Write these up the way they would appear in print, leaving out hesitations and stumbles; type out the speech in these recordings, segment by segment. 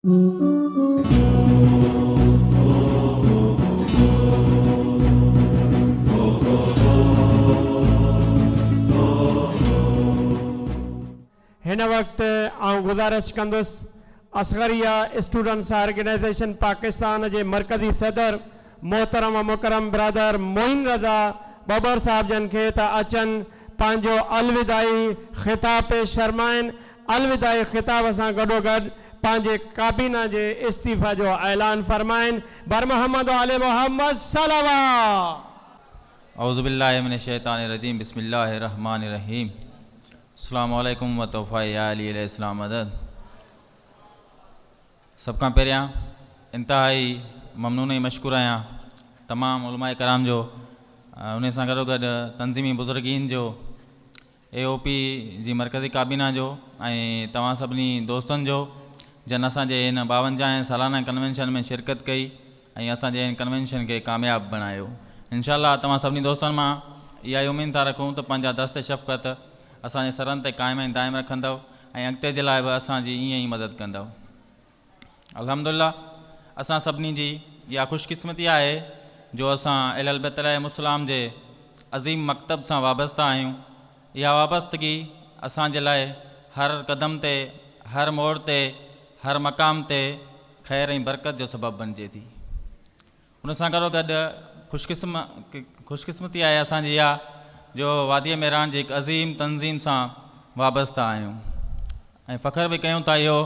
هن وقت آئون گذارش ڪندس اصغريه اسٽوڊنٽس آرگنائيزيشن پاڪستان جي مرڪزي صدر محترم و مڪرم برادر معين رضا ٻٻر صاحب جن کي ته اچن پنهنجو الوداعي خطاب پيش فرمائن. الوداعي خطاب سان گڏوگڏ پنهنجي ڪابينا جي استعيفا جو اعلان فرمائن. بر محمد و آل محمد صلوات. اعوذ بالله من الشيطان الرجيم بسم الله الرحمن الرحيم السلام عليڪم و تحفه يا علي عليه السلام مدد سڀ کان پهريان انتهائي ممنون ۽ مشڪور آهيان تمام علماء ڪرام جو انهي سان گڏو گڏ تنظيمي بزرگين جو اي او پي جي مرڪزي ڪابينا جو ۽ توهان سڀني دوستن جو جن اسان جي هن ٻاونجاهين سالانه ڪنوينشن ۾ شرڪت ڪئي ۽ اسان جي هن ڪنوينشن کي ڪامياب بڻايو. انشاء الله توهان سڀني دوستن مان اها ئي اميد ٿا رکون ته پنهنجا دست شفقت اسان جي سرن تي قائم ۽ دائم رکندؤ ۽ اڳتي جي لاء به اسان جي ائين ئي مدد ڪندؤ. الحمدلله اسان سڀني جي اها خوش قسمتي آهي جو اسان اهل البيت عليهم السلام جي عظيم مڪتب سان وابسته آهيون. اها وابستگي اسان جي لاء هر قدم تي، هر موڙ تي، هر مقام تي خير ۽ برڪت جو سبب بڻجي ٿي. ان سان گڏوگڏ خوشقسمتي آهي اسان جي اها جو واديء مهراڻ جي هڪ عظيم تنظيم سان وابسته آهيون ۽ فخر به ڪيون ٿا اهو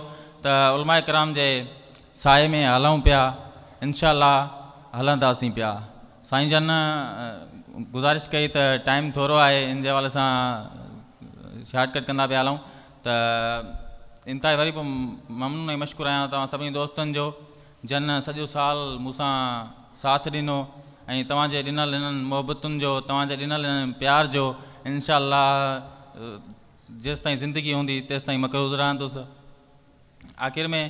ته علماء ڪرام جي سائي ۾ هلون پيا انشاء الله هلنداسين پيا. سائين جن گذارش ڪئي ته ٽائيم ٿورو آهي ان جي حوالي سان شارٽ ڪٽ ڪندا پيا هلون ته انتهائي وري به ممنون ۽ مشڪور آهيان توهان سڀني دوستن جو جن سڄو سال مون سان ساٿ ڏنو ۽ توهان جي ڏنل انهن محبتن جو توهان جي ڏنل انهن پيار جو انشاء الله جيستائين زندگي هوندي تيستائين مقروض رهندس. آخر ۾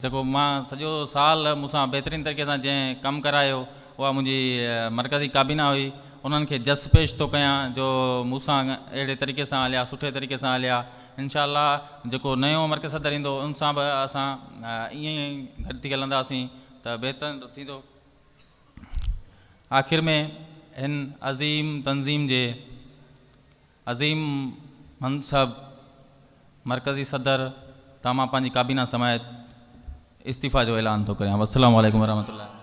جيڪو مان سڄو سال مون سان بهترين طريقي سان جنهن ڪم ڪرايو اها منهنجي مرڪزي ڪابينا هئي انهن کي جس پيش ٿو ڪيان جو مون سان اهڙي طريقي سان هليا سٺي طريقي سان هليا انشاء الله جيڪو نيو مرڪزي صدر ايندو ان سان به اسان ائين ئي گڏ ٿي هلنداسين ته بهتر ٿيندو. آخر ۾ هن عظيم تنظيم جي عظيم منصب مرڪزي صدر تان مان پنهنجي ڪابينا سميت استعيفا جو اعلان ٿو ڪريان. والسلام عليڪم ورحمة الله.